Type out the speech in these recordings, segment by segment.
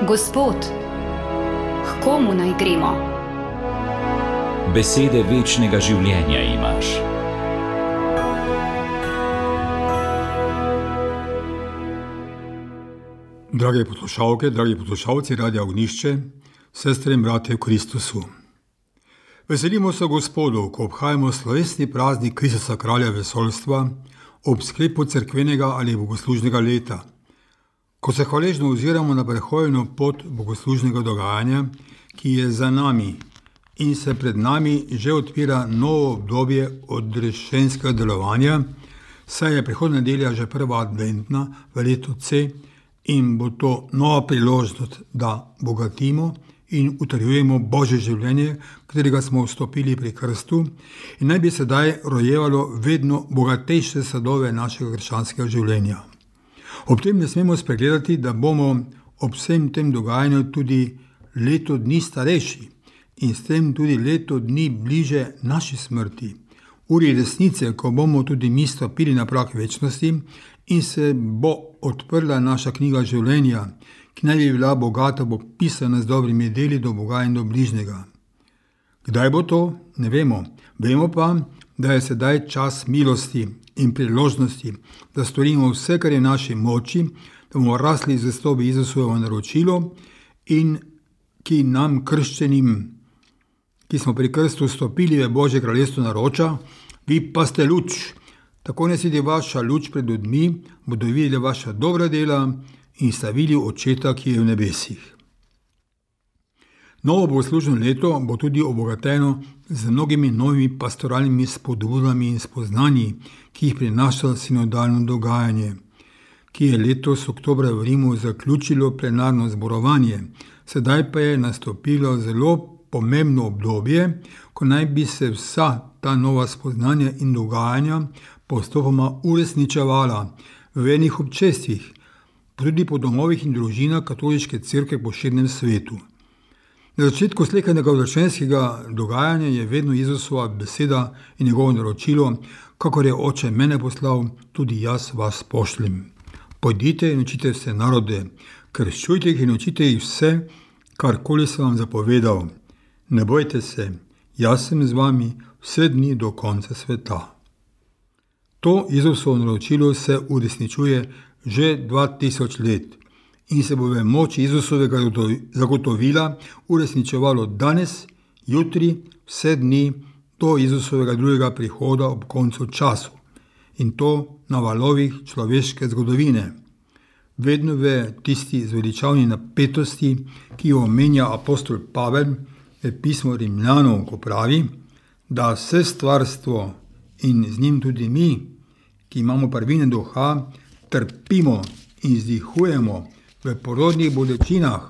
Gospod, k komu naj gremo? Besede večnega življenja imaš. Drage poslušalke, dragi poslušalci Radia Ognjišče, sestre in bratje v Kristusu. Veselimo se Gospodu, ko obhajamo slovesni praznik Kristusa kralja vesoljstva ob sklepu cerkvenega ali bogoslužnega leta, ko se hvaležno oziramo na prehojeno pot bogoslužnega dogajanja, ki je za nami in se pred nami že odpira novo obdobje odrešenskega delovanja, saj je prihodnja nedelja že prva adventna v letu C in bo to nova priložnost, da bogatimo in utrjujemo Božje življenje, katerega smo vstopili pri krstu in naj bi sedaj rojevalo vedno bogatejše sadove našega krščanskega življenja. Ob tem ne smemo spregledati, da bomo ob vsem tem dogajanju tudi leto dni starejši in s tem tudi leto dni bliže naši smrti, uri resnice, ko bomo tudi mi stopili na prag večnosti in se bo odprla naša knjiga življenja, ki naj bi bila bogata, bo pisana z dobrimi deli do Boga in do bližnjega. Kdaj bo to? Ne vemo. Vemo pa, da je sedaj čas milosti in priložnosti, da storimo vse, kar je v naši moči, da bomo rasli v zvestobi Jezusovo naročilo in ki nam krščenim, ki smo pri krstu vstopili v Božje kraljestvo, naroča: vi pa ste luč. Tako ne sedi vaša luč pred ljudmi, bodo videli vaša dobra dela in slavili Očeta, ki je v nebesih. Novo bogoslužno leto bo tudi obogateno z mnogimi novimi pastoralnimi spodbudami in spoznanji, ki jih prinaša sinodalno dogajanje, ki je letos oktobra v Rimu zaključilo plenarno zborovanje, sedaj pa je nastopilo zelo pomembno obdobje, ko naj bi se vsa ta nova spoznanja in dogajanja postopoma uresničevala v vernih občestvih, tudi po domovih in družinah katoliške cerkve po širnem svetu. Na začetku slekanega odrešenskega dogajanja je vedno Jezusova beseda in njegovo naročilo: kakor je Oče mene poslal, tudi jaz vas pošljem. Pojdite in učite vse narode, krščujte jih in učite jih vse, karkoli sem vam zapovedal. Ne bojte se, jaz sem z vami vse dni do konca sveta. To Jezusovo naročilo se uresničuje že 2000 let in se bo v moči Jezusovega zagotovila uresničevalo danes, jutri, vse dni do Jezusovega drugega prihoda ob koncu času, in to na valovih človeške zgodovine. Vedno v tisti zveličavni napetosti, ki jo omenja apostol Pavel v pismu Rimljanom, ko pravi, da vse stvarstvo in z njim tudi mi, ki imamo prvine duha, trpimo in vzdihujemo v porodnih bolečinah,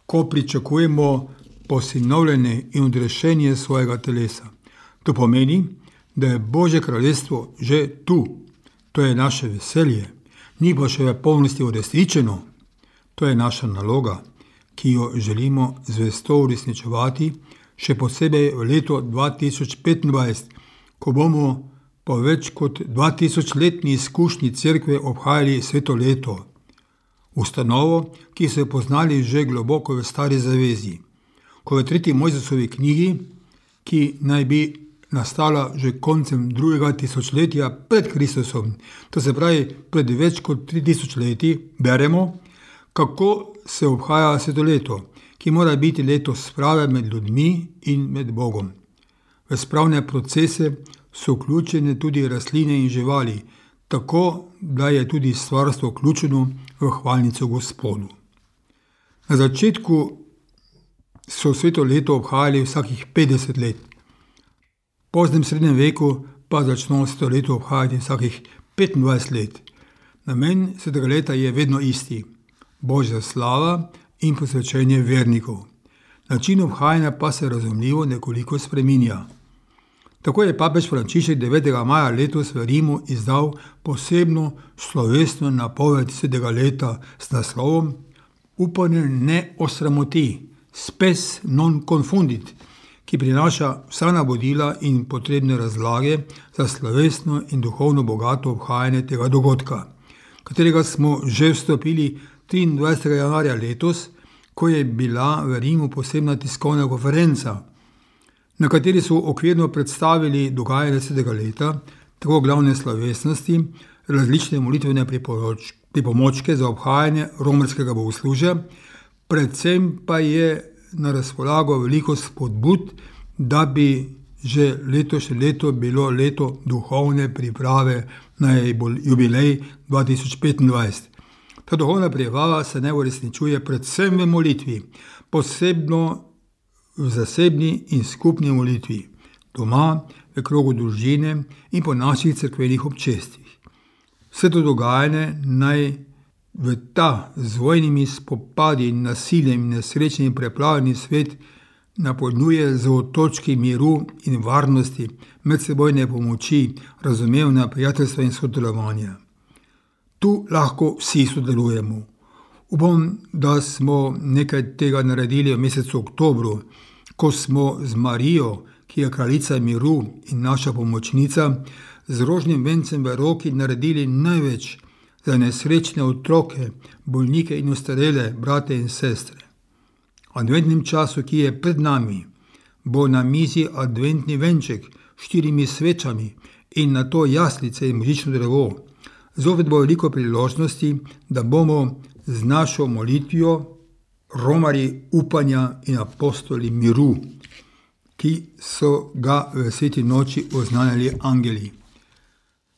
ko pričakujemo posinovljenje in odrešenje svojega telesa. To pomeni, da je Božje kraljestvo že tu. To je naše veselje, ni pa še v polnosti uresničeno. To je naša naloga, ki jo želimo zvesto uresničevati, še posebej v letu 2025, ko bomo po več kot 2000-letni izkušnji cerkve obhajali sveto leto. Ustanovo, ki so jo poznali že globoko v Stari zavezi, ko v 3. Mojzesovi knjigi, ki naj bi nastala že koncem 2. tisočletja pred Kristusom, to se pravi pred več kot 3000 leti, beremo, kako se obhaja sveto leto, ki mora biti leto sprave med ljudmi in med Bogom. V spravne procese so vključene tudi rastline in živali, tako da je tudi stvarstvo vključeno v hvalnico Gospodu. Na začetku so sveto leto obhajali vsakih 50 let. V poznem srednjem veku pa začno sveto leto obhajati vsakih 25 let. Namen svetega leta je vedno isti: Božja slava in posvečenje vernikov. Način obhajanja pa se razumljivo nekoliko spreminja. Tako je papež Frančišek 9. maja letos v Rimu izdal posebno slovesno napoved svetega leta s naslovom Upanje ne osramoti, spes non confundit, ki prinaša vsa navodila in potrebne razlage za slovesno in duhovno bogato obhajanje tega dogodka, katerega smo že vstopili 23. januarja letos ko je bila v Rimu posebna tiskovna konferenca, na kateri so okvirno predstavili dogajanje 10. leta, tako glavne slovesnosti, različne molitvene pripomočke za obhajanje romarskega bogoslužja, predvsem pa je na razpolago veliko spodbud, da bi že letošnje leto bilo leto duhovne priprave na jubilej 2025. Ta duhovna priprava se naj uresničuje predvsem v molitvi, posebno v zasebni in skupni molitvi, doma, v krogu družine in po naših cerkvenih občestvih. Vse to dogajanje naj v ta z vojnimi spopadi in nasiljem in nesrečnim preplavljeni svet napolnjuje z otočki miru in varnosti, medsebojne pomoči, razumevanja, prijateljstva in sodelovanja. Tu lahko vsi sodelujemo. Upam, da smo nekaj tega naredili v mesecu oktobru, ko smo z Marijo, ki je kraljica miru in naša pomočnica, z rožnim vencem v roki naredili največ za nesrečne otroke, bolnike in ostarele, brate in sestre. V adventnem času, ki je pred nami, bo na mizi adventni venček s 4 svečami in na to jaslice in božično drevo. Zopet bo veliko priložnosti, da bomo z našo molitvijo romarji upanja in apostoli miru, ki so ga v sveti noči oznanjali angeli.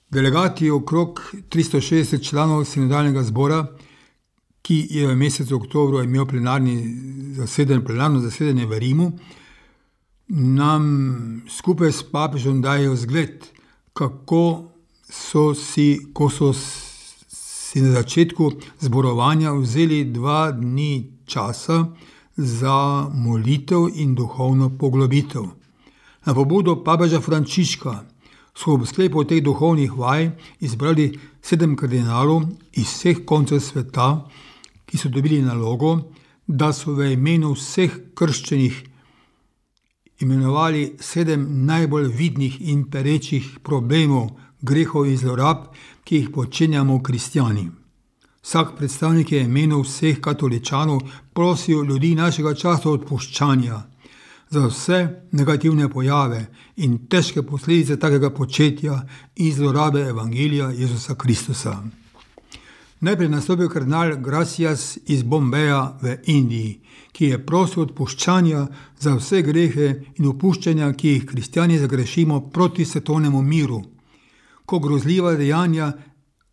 Delegati okrog 360 članov sinodalnega zbora, ki je v mesecu oktobru imel plenarno zasedanje v Rimu, nam skupaj s papežem dajo zgled, kako so si na začetku zborovanja vzeli 2 dni časa za molitev in duhovno poglobitev. Na pobudo papeža Frančiška so ob sklepu teh duhovnih vaj izbrali 7 kardinalov iz vseh koncev sveta, ki so dobili nalogo, da so v imenu vseh krščenih imenovali 7 najbolj vidnih in perečih problemov, grehov in zlorab, ki jih počenjamo kristjani. Vsak predstavnik je imenu vseh katoličanov prosil ljudi našega časa odpuščanja za vse negativne pojave in težke posledice takega početja in zlorabe evangelija Jezusa Kristusa. Najprej nastopil kardinal Gracias iz Bombeja v Indiji, ki je prosil odpuščanja za vse grehe in opuščanja, ki jih kristjani zagrešimo proti svetovnemu miru, ko grozljiva dejanja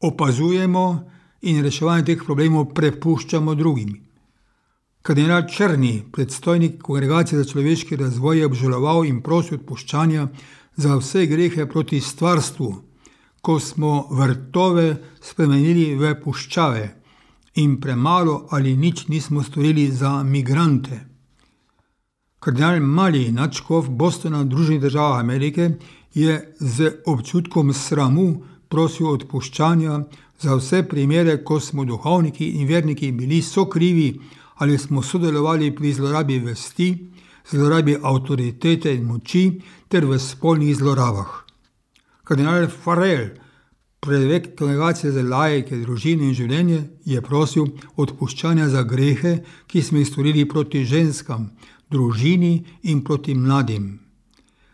opazujemo in reševanje teh problemov prepuščamo drugim. Kardinal Črni, predstojnik Kongregacije za človeški razvoj, je obžaloval in prosil odpuščanja za vse grehe proti stvarstvu, ko smo vrtove spremenili v puščave in premalo ali nič nismo storili za migrante. Kardinal Mali, nadškof Bostona v Združenih državah Amerike, je z občutkom sramu prosil odpuščanja za vse primere, ko smo duhovniki in verniki bili sokrivi ali smo sodelovali pri zlorabi vesti, zlorabi avtoritete in moči ter v spolnih zlorabah. Kardinal Farrell, prefekt Kongregacije za laike, družino in življenje, je prosil odpuščanja za grehe, ki smo jih storili proti ženskam, družini in proti mladim.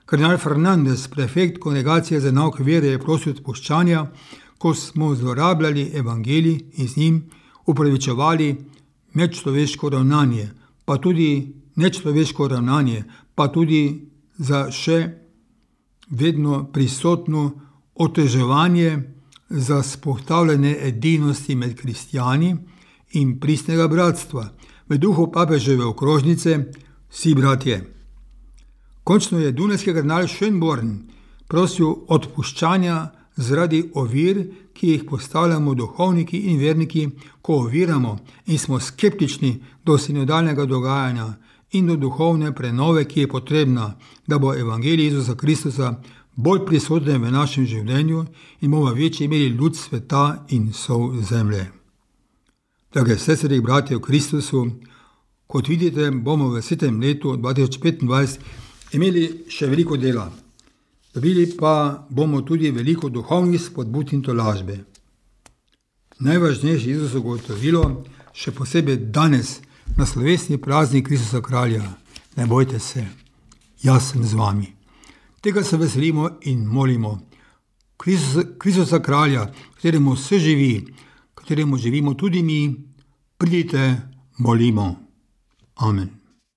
Kardinal Fernandez, prefekt Kongregacije za nauk vere, je prosil odpuščanja, ko smo zlorabljali evangelij in z njim upravičevali medčloveško ravnanje, pa tudi nečloveško ravnanje, pa tudi za še vedno prisotno oteževanje za spohtavljanje edinosti med kristjani in pristnega bratstva, v duhu papeževe okrožnice vsi bratje. Končno je dunajski kardinal Schönborn prosil odpuščanja zaradi ovir, ki jih postavljamo duhovniki in verniki, ko oviramo in smo skeptični do sinodalnega dogajanja in do duhovne prenove, ki je potrebna, da bo evangelij Jezusa Kristusa bolj prisoten v našem življenju in bomo v večji meri ljud sveta in sol zemlje. Drage sestre in bratje v Kristusu, kot vidite, bomo v svetem letu 2025 imeli še veliko dela. Dobili pa bomo tudi veliko duhovnih spodbud in tolažbe. Najvažnejše Jezusovo gotovilo, še posebej danes na slovesni praznik Kristusa kralja. Ne bojte se, jaz sem z vami. Tega se veselimo in molimo. Kristusa kralja, kateremu vse živi, kateremu živimo tudi mi, pridite, molimo. Amen.